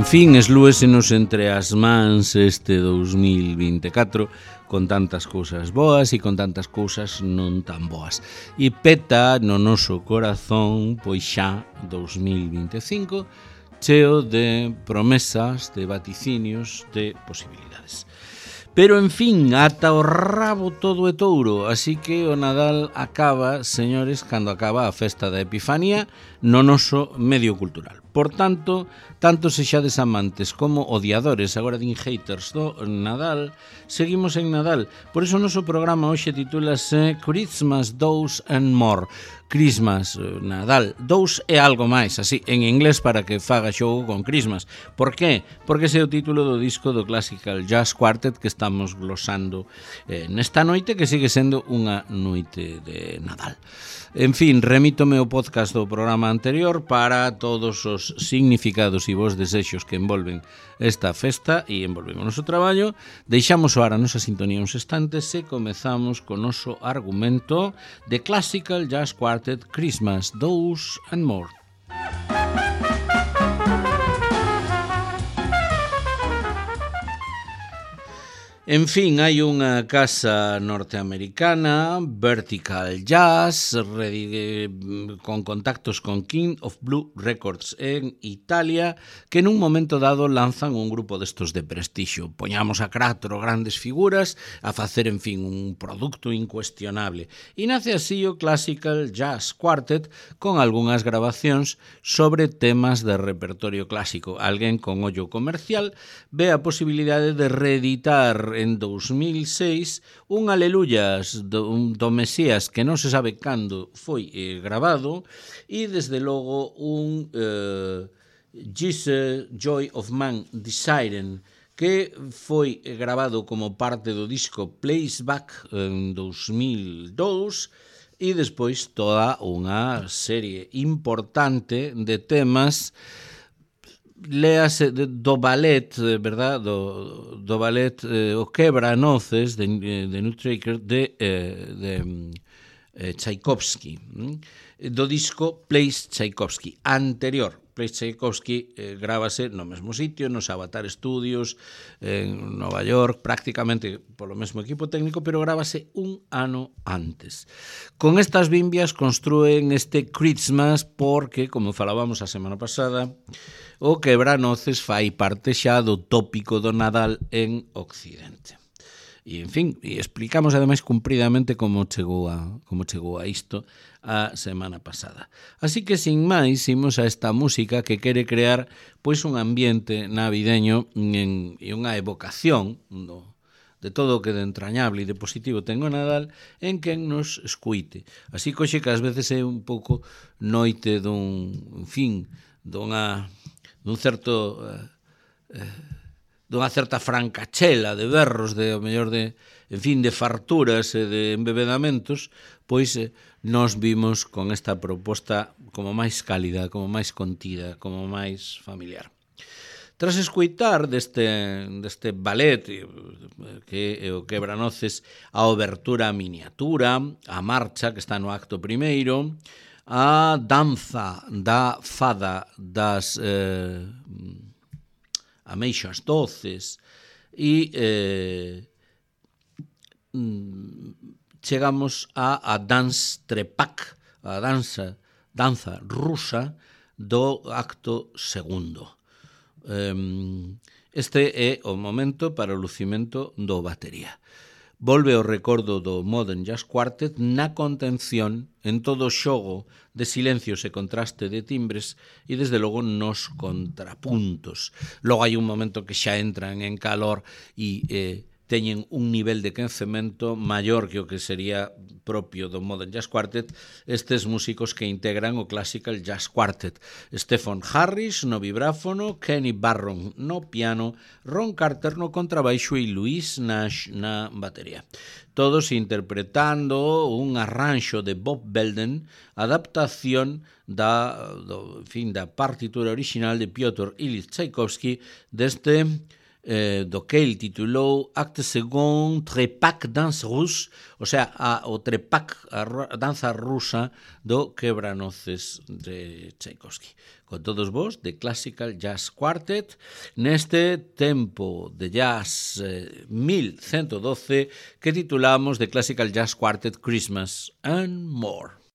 fin, eslúesenos entre as mans este 2024 con tantas cousas boas e con tantas cousas non tan boas. E peta no noso corazón, pois xa 2025, cheo de promesas, de vaticinios, de posibilidades. Pero, en fin, ata o rabo todo é touro, así que o Nadal acaba, señores, cando acaba a festa da Epifanía no noso medio cultural. Por tanto, tanto sexades amantes como odiadores, agora din haters do Nadal, seguimos en Nadal. Por iso o noso programa hoxe titúlase Christmas, Dose and More. Christmas, Nadal, dous e algo máis, así, en inglés para que faga xogo con Christmas. Por qué? Porque ese é o título do disco do Classical Jazz Quartet que estamos glosando nesta noite, que sigue sendo unha noite de Nadal. En fin, remítome ao podcast do programa anterior para todos os significados e vos desexos que envolven esta festa e envolven o noso traballo. Deixamos a nosa sintonía uns instantes e comezamos co noso argumento de Classical Jazz Quartet Christmas, Dose and More. En fin, hai unha casa norteamericana, Vertical Jazz, con contactos con King of Blue Records en Italia, que nun momento dado lanzan un grupo destos de prestixio. Poñamos a 4 grandes figuras a facer, en fin, un produto incuestionable. E nace así o Classical Jazz Quartet con algunhas grabacións sobre temas de repertorio clásico. Alguén con ollo comercial ve a posibilidade de reeditar en 2006 un Aleluyas do Mesías que non se sabe cando foi grabado e desde logo un Jesus Joy of Man Desiring que foi grabado como parte do disco Place Back en 2002 e despois toda unha serie importante de temas léase do ballet, verdad, do ballet o Quebranoces de Nutcracker de Tchaikovsky, do disco Place Tchaikovsky anterior. Place Tchaikovsky grábase no mesmo sitio, nos Avatar Studios en Nova York, prácticamente polo mesmo equipo técnico, pero grábase un ano antes. Con estas bimbias construen este Christmas porque, como falábamos a semana pasada, o Quebranoces fai parte xa do tópico do Nadal en Occidente. E, en fin, e explicamos ademais cumpridamente como chegou a isto a semana pasada. Así que, sin máis, imos a esta música que quere crear pois un ambiente navideño e unha evocación de todo o que de entrañable e de positivo ten o Nadal en quen nos escuite. Así que hoxe que ás veces é un pouco noite dunha certa francachela de berros, de o mellor de, en fin, de farturas e de embebedamentos, pois nos vimos con esta proposta como máis cálida, como máis contida, como máis familiar. Tras escoitar deste ballet que é o Quebranoces, a obertura miniatura, a marcha que está no acto primeiro, a danza da fada das ameixas doces e chegamos a Dance Trepak, a danza rusa do acto segundo. Este é o momento para o lucimento do batería. Volve o recordo do Modern Jazz Quartet na contención, en todo o xogo de silencios e contraste de timbres e, desde logo, nos contrapuntos. Logo hai un momento que xa entran en calor e teñen un nivel de quencemento maior que o que sería propio do Modern Jazz Quartet estes músicos que integran o Classical Jazz Quartet. Stephen Harris no vibráfono, Kenny Barron no piano, Ron Carter no contrabaixo e Louis Nash na batería. Todos interpretando un arranxo de Bob Belden, adaptación da partitura original de Piotr Ilyich Tchaikovsky deste do que el titulou Acte Second Trepak Danse Russe, o sea, o trepak, a danza rusa do Quebranoces de Tchaikovsky. Con todos vos, de Classical Jazz Quartet, neste tempo de jazz 1112 que titulamos de Classical Jazz Quartet Christmas and More.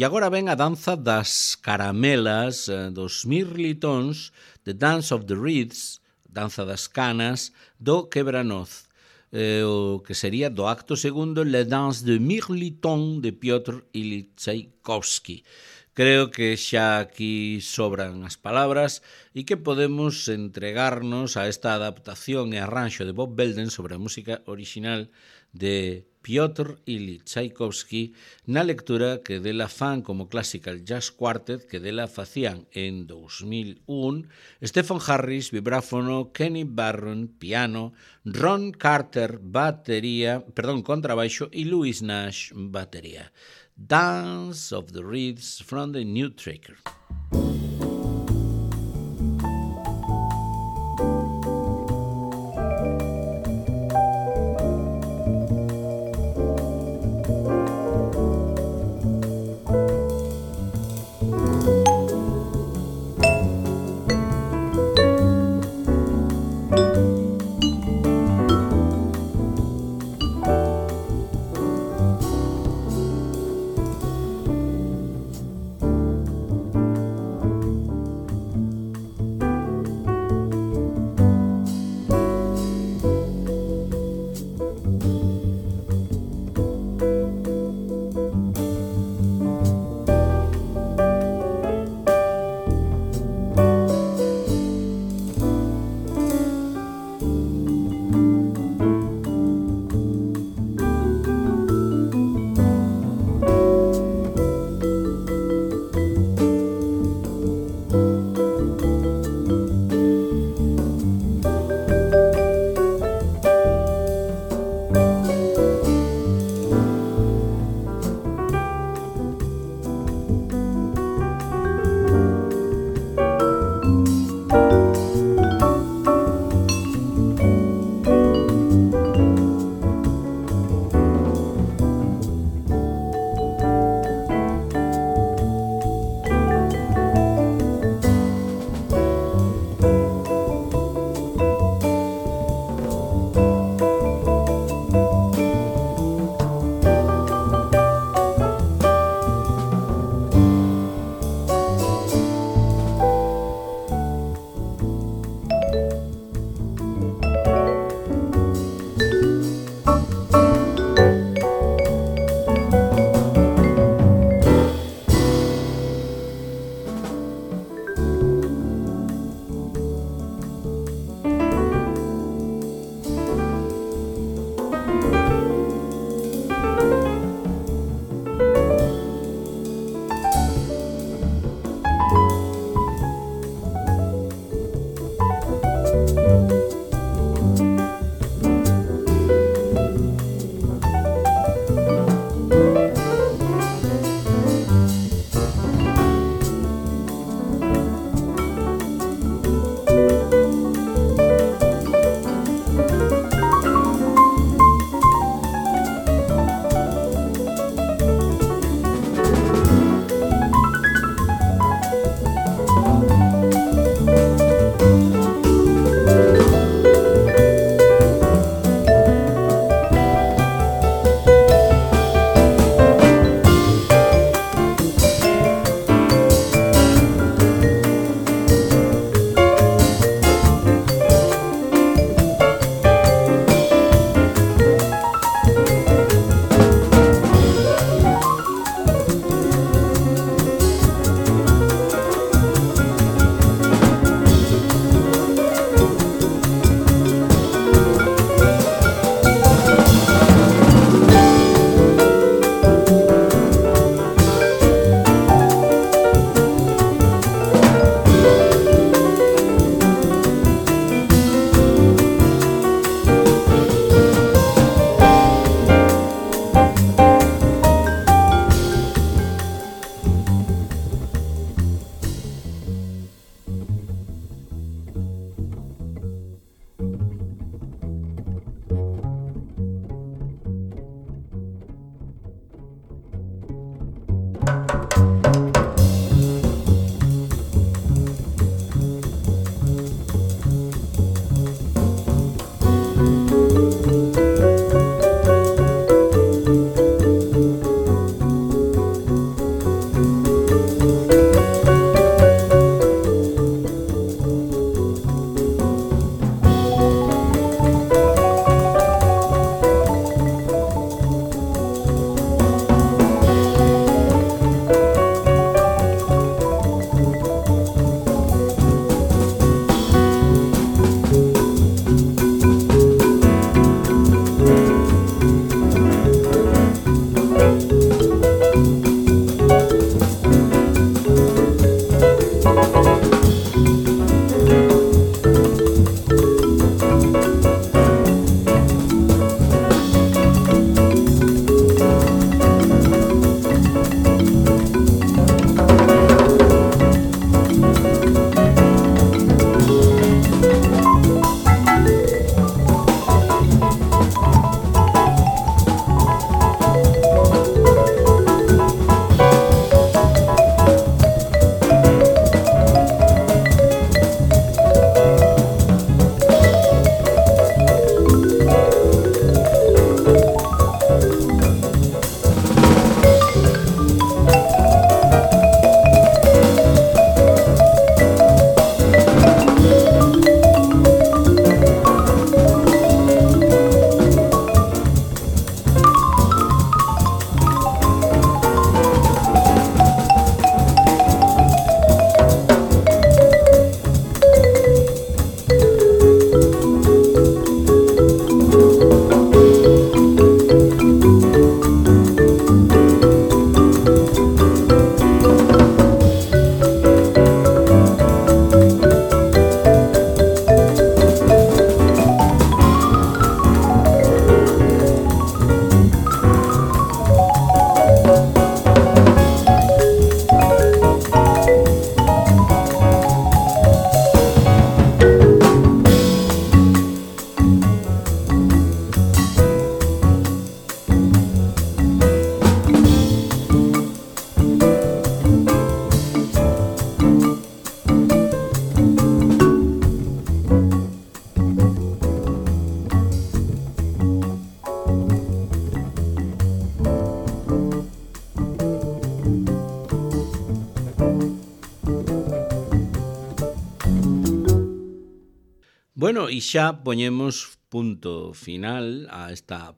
E agora ven a danza das caramelas, dos mirlitóns, The Dance of the Reeds, danza das canas, do quebranoz. O que sería do acto segundo Le Danse de Mirliton de Piotr Ilyich Tchaikovsky. Creo que xa aquí sobran as palabras e que podemos entregarnos a esta adaptación e arranxo de Bob Belden sobre a música original de Piotr Ilyich Tchaikovsky na lectura que dela fan como Classical Jazz Quartet que dela facían en 2001 Stephen Harris, vibráfono, Kenny Barron, piano, Ron Carter, contrabaixo e Louis Nash, batería. Dance of the Reeds from the New Tracker. Bueno, e xa poñemos punto final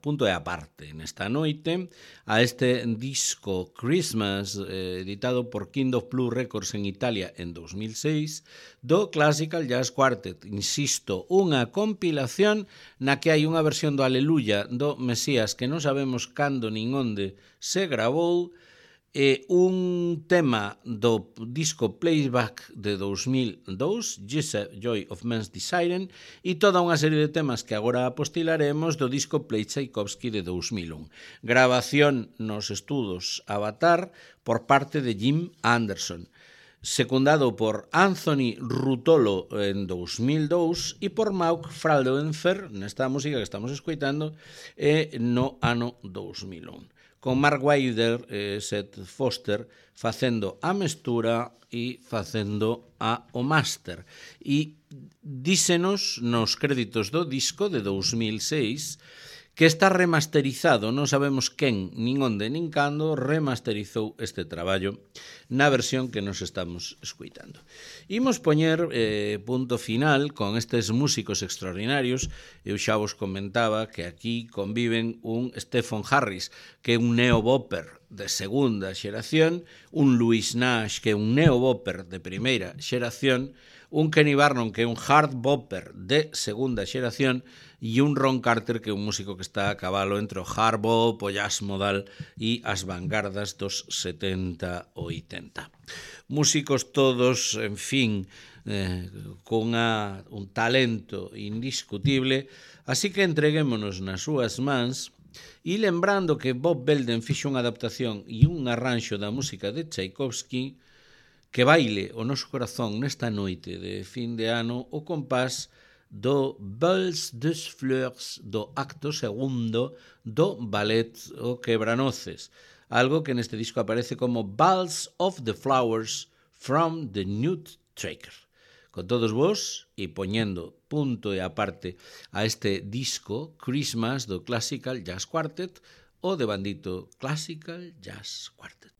punto e aparte nesta noite a este disco Christmas editado por King of Blue Records en Italia en 2006 do Classical Jazz Quartet. Insisto, unha compilación na que hai unha versión do Aleluya do Mesías que non sabemos cando nin onde se gravou, un tema do disco Playback de 2002, Joy of Man's Desiring, e toda unha serie de temas que agora apostilaremos do disco Play Tchaikovsky de 2001. Grabación nos estudos Avatar por parte de Jim Anderson, secundado por Anthony Rutolo en 2002 e por Mauk Frauenfer nesta música que estamos escoitando no ano 2001. Con Mark Wilder e Seth Foster facendo a mestura e facendo o máster. E dísenos nos créditos do disco de 2006 que está remasterizado, non sabemos quen, nin onde, nin cando, remasterizou este traballo na versión que nos estamos escuitando. Imos poñer punto final con estes músicos extraordinarios. Eu xa vos comentaba que aquí conviven un Stephen Harris, que é un neo-bopper de segunda xeración, un Louis Nash, que é un neo-bopper de primeira xeración, un Kenny Barnum, que é un hard bopper de segunda xeración, e un Ron Carter, que é un músico que está a cabalo entre o hard bop, o jazz modal e as vanguardas dos 70 ou 80. Músicos todos, en fin, con un talento indiscutible, así que entreguémonos nas súas mans. E lembrando que Bob Belden fixo unha adaptación e un arranxo da música de Tchaikovsky, que baile o noso corazón nesta noite de fin de ano o compás do Vals des Fleurs do acto segundo do ballet O Quebranoces, algo que neste disco aparece como Vals of the Flowers from the Nut Tracker. Con todos vos e poñendo punto e aparte a este disco Christmas do Classical Jazz Quartet, o de bandito Classical Jazz Quartet.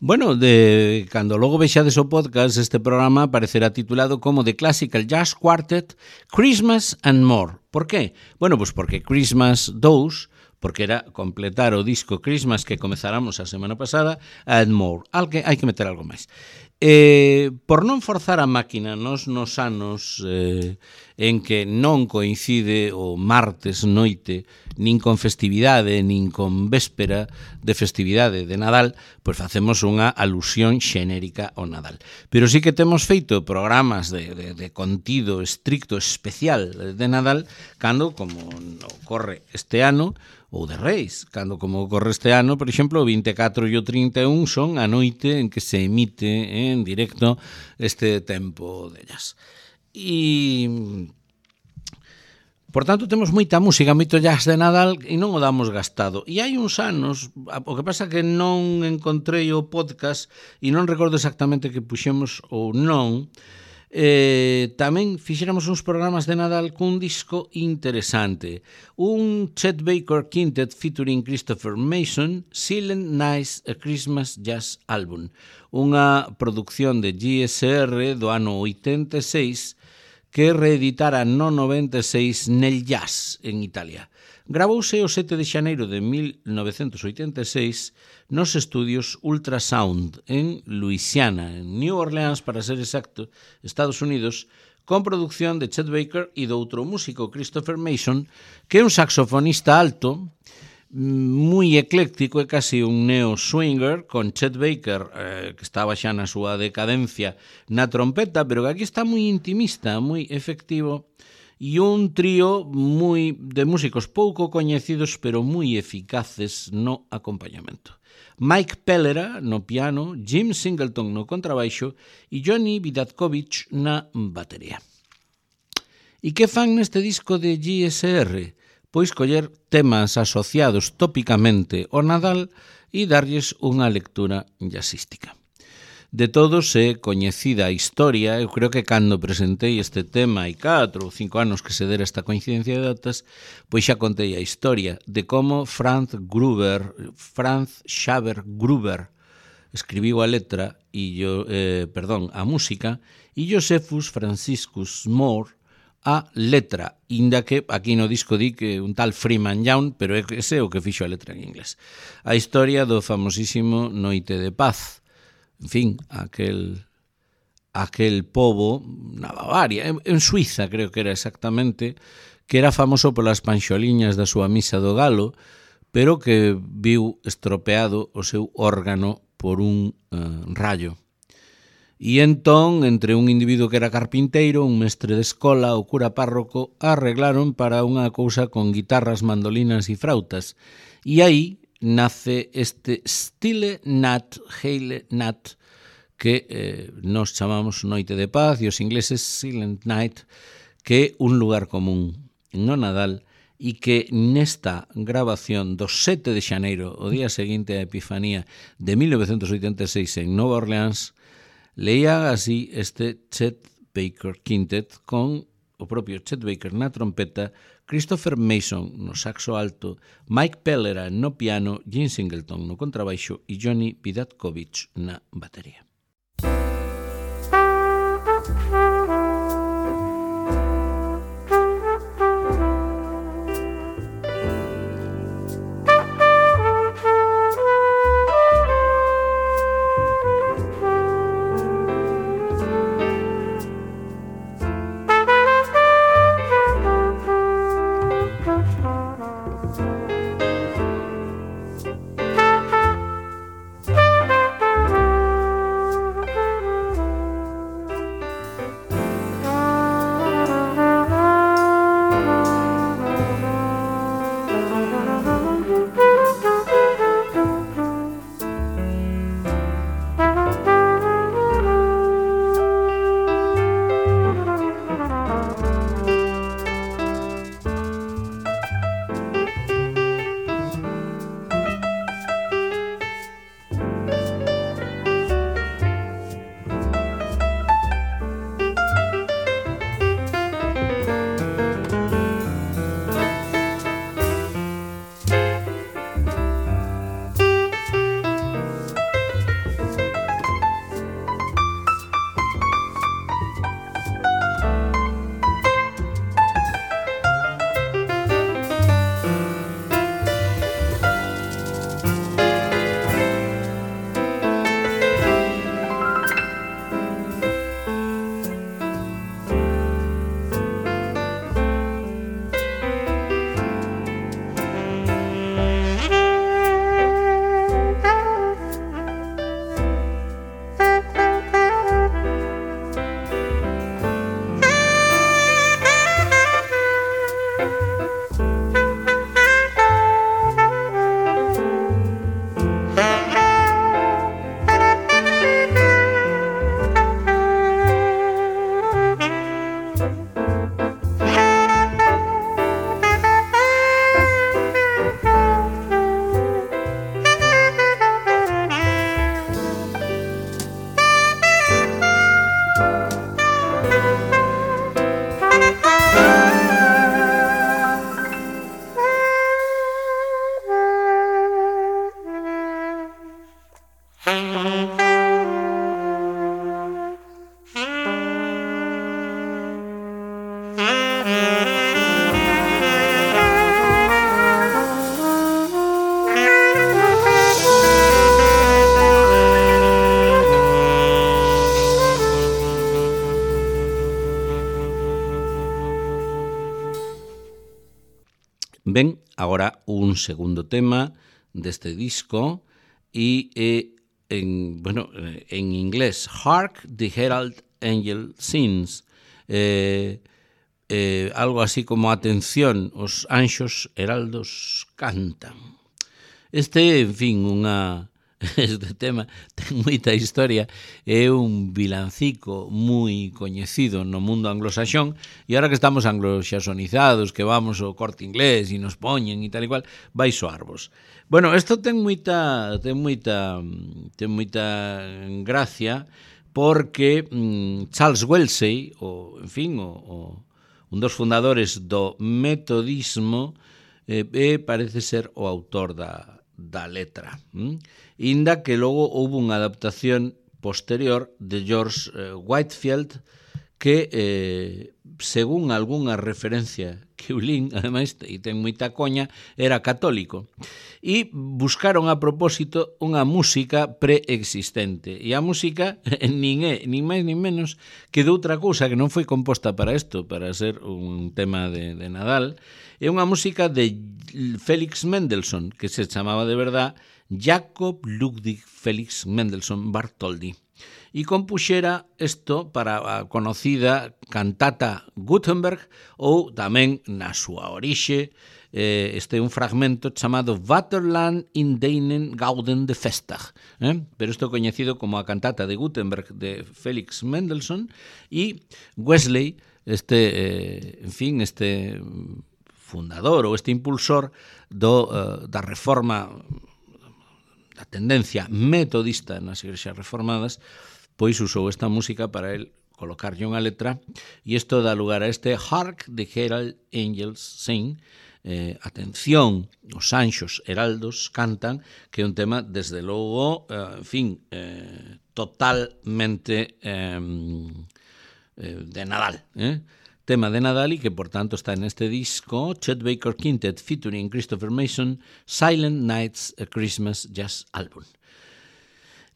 Bueno, cando logo vexades o podcast, este programa aparecerá titulado como The Classical Jazz Quartet, Christmas and More. Por qué? Bueno, pois porque Christmas 2, porque era completar o disco Christmas que comezáramos a semana pasada, and More. Hai que meter algo máis. Por non forzar a máquina nos anos en que non coincide o martes noite nin con festividade, nin con véspera de festividade de Nadal, pois facemos unha alusión xenérica ao Nadal. Pero sí que temos feito programas de contido estricto especial de Nadal, cando, como ocorre este ano, ou de Reis, cando como ocorre este ano, por exemplo, o 24 e o 31 son a noite en que se emite en directo este tempo de jazz. E, por tanto, temos moita música, moito jazz de Nadal e non o damos gastado. E hai uns anos, o que pasa que non encontrei o podcast e non recordo exactamente que puxemos ou non, tamén fixéramos uns programas de Nadal cun disco interesante, un Chet Baker Quintet featuring Christopher Mason, Silent Night, a Christmas Jazz Album, unha produción de GSR do ano 86 que reeditara no 96 nel Jazz en Italia. gravouse o 7 de xaneiro de 1986 nos estudios Ultrasound en Louisiana, en New Orleans, para ser exacto, Estados Unidos, con producción de Chet Baker e do outro músico Christopher Mason, que é un saxofonista alto, moi ecléctico, é casi un neo-swinger, con Chet Baker, que estaba xa na súa decadencia, na trompeta, pero que aquí está moi intimista, moi efectivo, e un trío moi de músicos pouco coñecidos, pero moi eficaces no acompañamento. Mike Pellera no piano, Jim Singleton no contrabaixo e Johnny Vidatkovich na batería. E que fan neste disco de GSR? Pois coller temas asociados tópicamente ao Nadal e darlles unha lectura jazzística. De todos é coñecida a historia, eu creo que cando presentei este tema hai 4 ou 5 anos que se dera esta coincidencia de datas, pois xa contei a historia de como Franz Xaver Gruber escribiu a letra a música e Josephus Franciscus Moore a letra, inda que aquí no disco di que un tal Freeman Young, pero ese é o que fixo a letra en inglés. A historia do famosísimo Noite de Paz, en fin, aquel pobo na Bavaria, en Suiza creo que era exactamente, que era famoso polas panxoliñas da súa misa do galo, pero que viu estropeado o seu órgano por un rayo. E entón, entre un individuo que era carpinteiro, un mestre de escola, o cura párroco, arreglaron para unha cousa con guitarras, mandolinas e frautas. E aí nace este Stille Nacht, Heile Nacht, que nos chamamos Noite de Paz, e os ingleses Silent Night, que é un lugar común no Nadal, e que nesta grabación do 7 de xaneiro, o día seguinte á Epifanía de 1986 en Nova Orleans, leía así este Chet Baker Quintet con o propio Chet Baker na trompeta, Christopher Mason no saxo alto, Mike Pellera no piano, Jim Singleton no contrabaixo e Johnny Vidatkovich na batería. agora un segundo tema deste disco e en inglés, Hark the Herald Angel Sings, algo así como atención, os anxos heraldos cantan. Este, en fin, este tema ten moita historia, é un vilancico moi coñecido no mundo anglosaxón, e ahora que estamos anglosaxonizados, que vamos ao Corte Inglés e nos poñen e tal e cual, vai soarvos. Bueno, isto ten moita gracia, porque Charles Wellesley, un dos fundadores do metodismo, parece ser o autor da letra. Inda que logo houve unha adaptación posterior de George Whitefield que, según algunha referencia que eu lín, ademais, e ten moita coña, era católico. E buscaron a propósito unha música preexistente. E a música nin é, nin máis nin menos, que de outra cousa que non foi composta para isto, para ser un tema de Nadal. É unha música de Felix Mendelssohn, que se chamaba de verdad Jakob Ludwig Felix Mendelssohn Bartholdy. E compuxera isto para a conocida cantata Gutenberg, ou tamén na súa orixe, este é un fragmento chamado Vaterland in deinen Gauden de Festag, pero isto é coñecido como a cantata de Gutenberg de Felix Mendelssohn, e Wesley, este fundador ou este impulsor da reforma, da tendencia metodista nas igrexas reformadas, pois usou esta música para el colocarlle unha letra, e isto dá lugar a este Hark the Herald Angels Sing, atención, os anxos heraldos cantan, que é un tema, desde logo, totalmente de Nadal, tema de Nadal, e que, por tanto, está neste disco, Chet Baker Quintet featuring Christopher Mason, Silent Nights, a Christmas Jazz Album.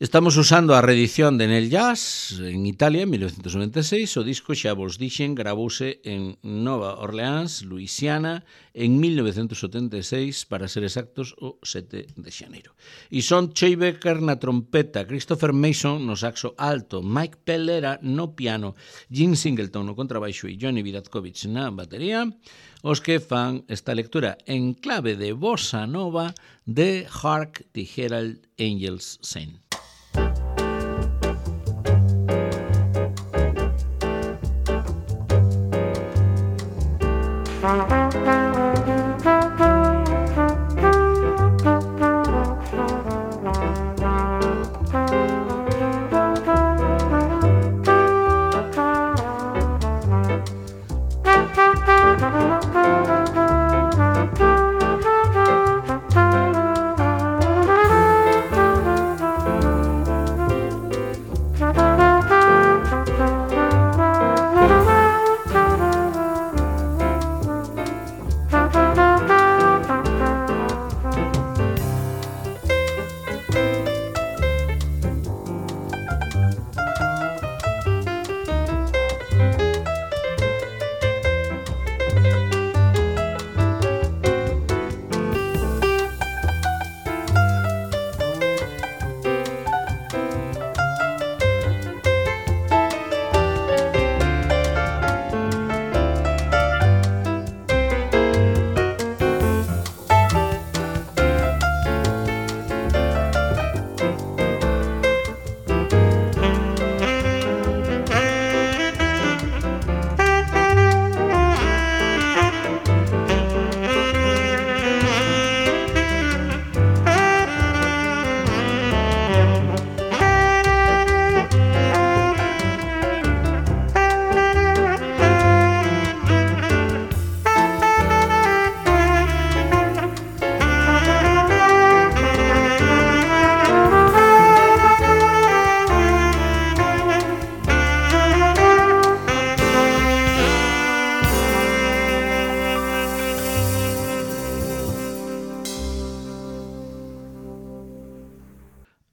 Estamos usando a reedición de Neil Jazz en Italia en 1996. O disco, xa vos dixen, gravouse en Nova Orleans, Luisiana, en 1976, para ser exactos, o 7 de xaneiro. E son Chet Baker na trompeta, Christopher Mason no saxo alto, Mike Pellera no piano, Jim Singleton no contrabaixo e Johnny Vidatkovich na batería, os que fan esta lectura en clave de bossa nova de Hark the Herald Angels Sing.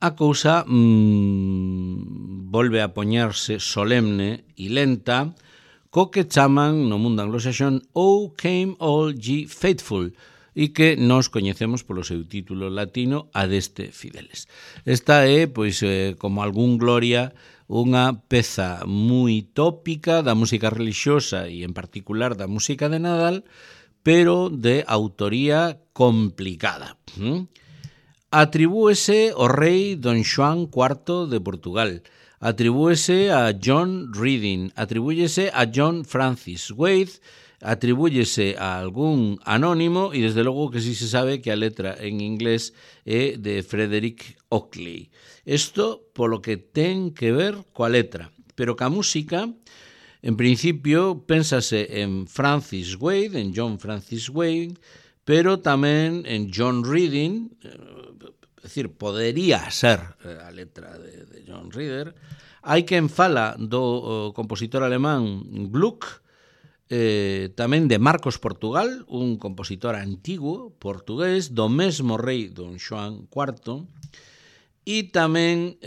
A cousa volve a poñerse solemne e lenta co que chaman no mundo anglosaxón O Came All Ye Faithful, e que nos coñecemos polo seu título latino Adeste Fideles. Esta é, pois, como algún Gloria, unha peza moi tópica da música religiosa e en particular da música de Nadal, pero de autoría complicada. Atribúese ao rei Don Xoán IV de Portugal, atribúese a John Reading, atribúyese a John Francis Wade, atribúyese a algún anónimo e desde logo que sí se sabe que a letra en inglés é de Frederick Oakley. Isto polo que ten que ver coa letra, pero ca música, en principio, pénsase en Francis Wade, en John Francis Wade, pero tamén en John Reading, é dicir, podería ser a letra de John Reader. Hai quen fala do compositor alemán Gluck, tamén de Marcos Portugal, un compositor antigo portugués do mesmo rei Don Xoán IV, e tamén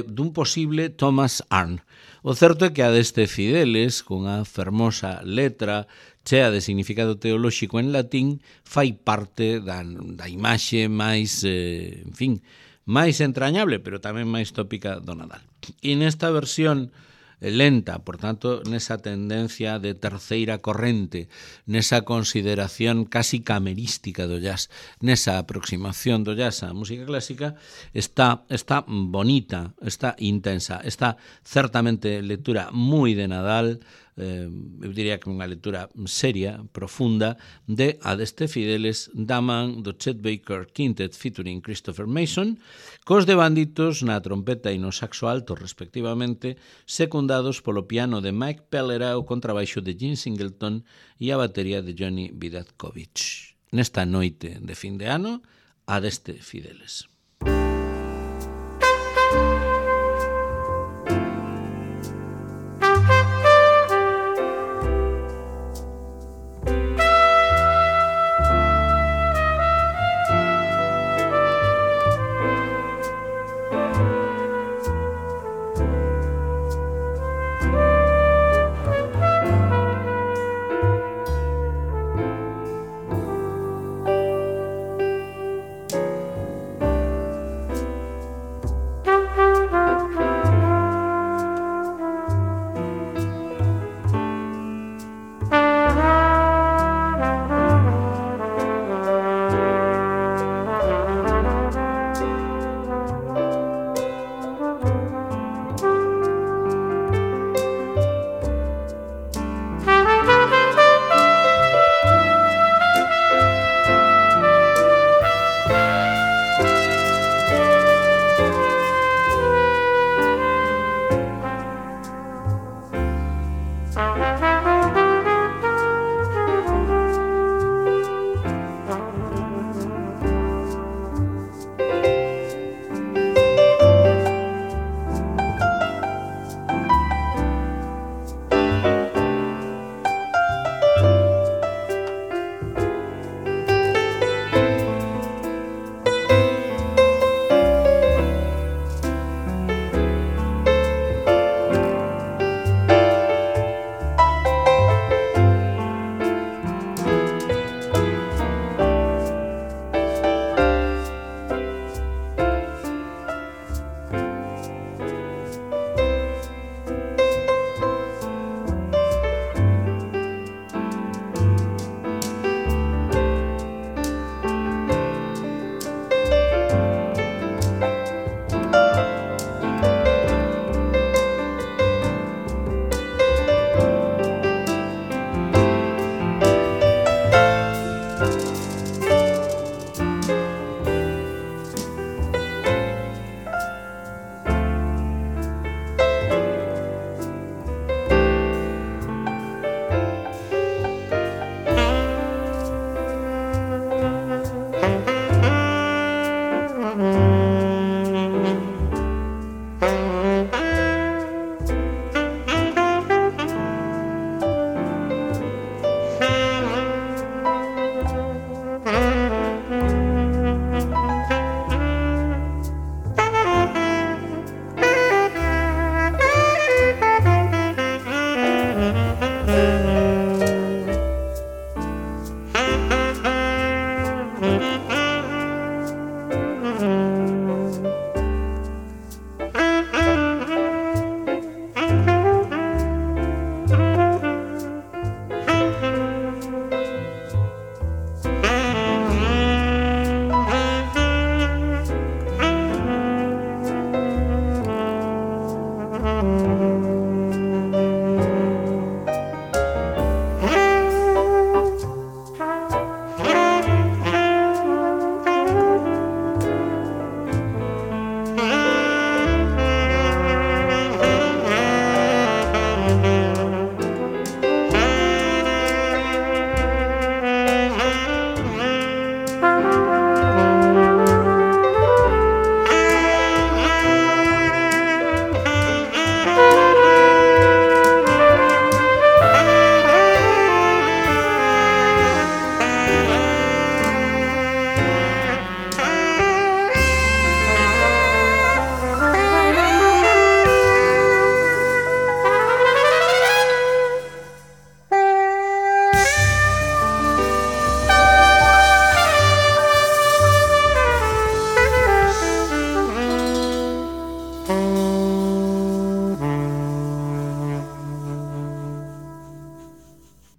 dun posible Thomas Arne. O certo é que Adeste Fideles, cunha fermosa letra chea de significado teolóxico en latín, fai parte da imaxe máis, máis entrañable, pero tamén máis tópica do Nadal. E nesta versión lenta, por tanto, nesa tendencia de terceira corrente, nesa consideración casi camerística do jazz, nesa aproximación do jazz á música clásica, está bonita, está intensa, está certamente lectura moi de Nadal, eu diría que unha lectura seria, profunda, de Adeste Fideles, da man do Chet Baker Quintet featuring Christopher Mason, cos de banditos na trompeta e no saxo alto, respectivamente, secundados polo piano de Mike Pellera, o contrabaixo de Gene Singleton e a batería de Johnny Vidatkovich. Nesta noite de fin de ano, Adeste Fideles.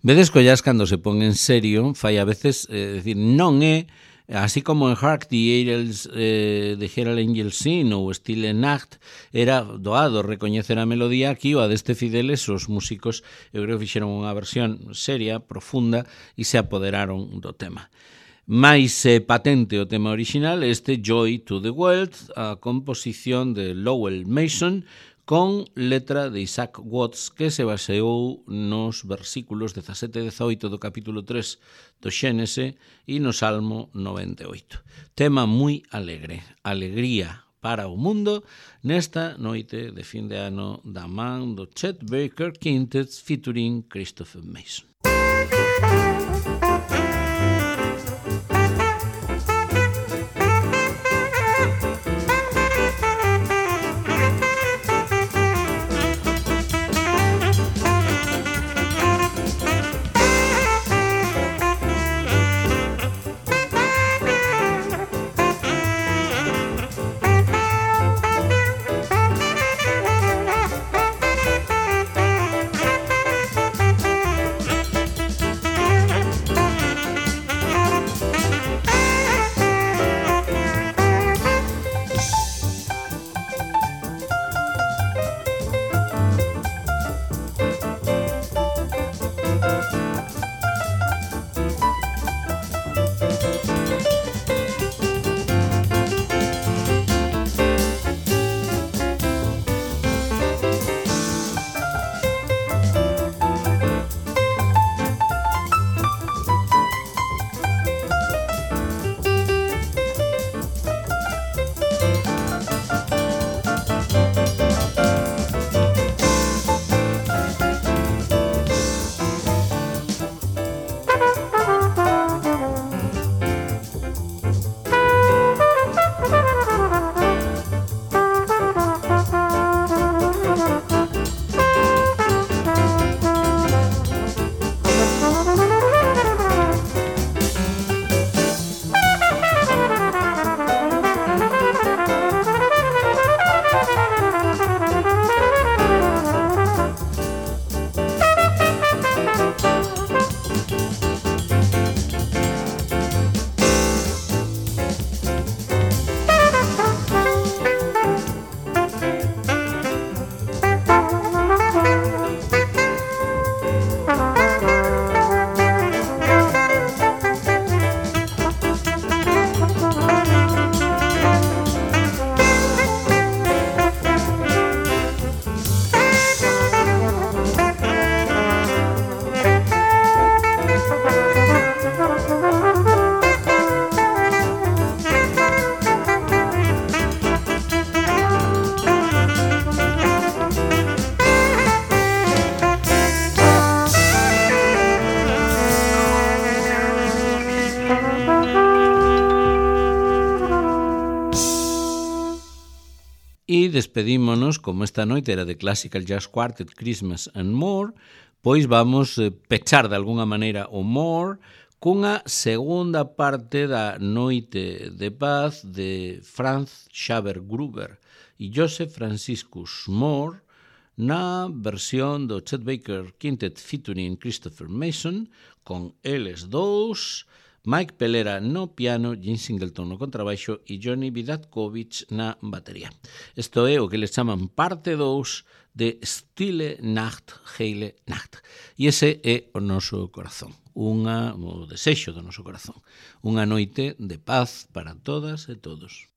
Vedes collas cando se pon en serio, fai a veces, decir, non é, así como en Hark the Angels, de Herald Angels Sing ou Stille Nacht, era doado recoñecer a melodía, aquí o a deste Fideles, os músicos, eu creo que fixeron unha versión seria, profunda, e se apoderaron do tema. Mais patente o tema original, este Joy to the World, a composición de Lowell Mason, con letra de Isaac Watts, que se baseou nos versículos 17 e 18 do capítulo 3 do Xénese e no Salmo 98. Tema moi alegre, alegría para o mundo nesta noite de fin de ano da man do Chet Baker Quintet featuring Christopher Mason. E despedímonos, como esta noite era de Classical Jazz Quartet, Christmas and More, pois vamos pechar de alguna maneira o More cunha segunda parte da Noite de Paz de Franz Xaver Gruber e Joseph Franciscus More na versión do Chet Baker Quintet featuring Christopher Mason, con eles dous, Mike Pelera no piano, Jim Singleton no contrabaixo e Johnny Vidatkovich na batería. Isto é o que les chaman parte 2 de Stille Nacht, Heile Nacht. E ese é o noso corazón, o desexo do noso corazón. Unha noite de paz para todas e todos.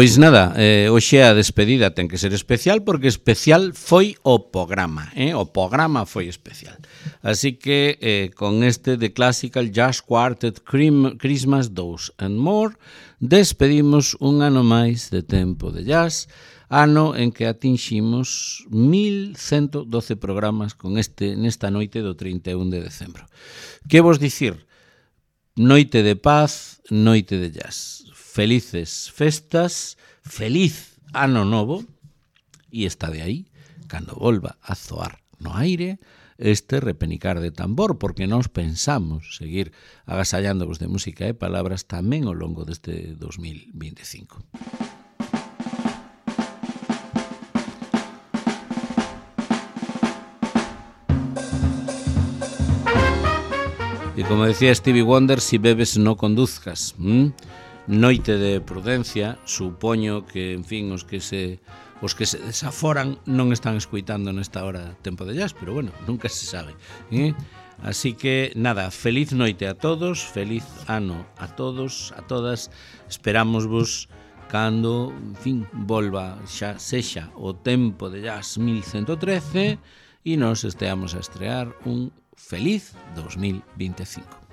Pois nada, hoxe a despedida ten que ser especial porque especial foi o programa, o programa foi especial. Así que con este The Classical Jazz Quartet Christmas 2 and More despedimos un ano máis de tempo de jazz, ano en que atinximos 1112 programas con nesta noite do 31 de decembro. Que vos dicir? Noite de paz, noite de jazz. Felices festas, feliz ano novo, e está de aí, cando volva a zoar no aire este repenicar de tambor, porque nós pensamos seguir agasallándovos de música e palabras tamén ao longo deste 2025. E como decía Stevie Wonder, si bebes no conduzcas. Noite de prudencia, supoño que, en fin, os que se desaforan non están escoitando nesta hora tempo de jazz, pero bueno, nunca se sabe. Así que, nada, feliz noite a todos, feliz ano a todos, a todas. Esperámosvos cando, en fin, volva xa sexa o tempo de jazz 1113 e nos esteamos a estrear un feliz 2025.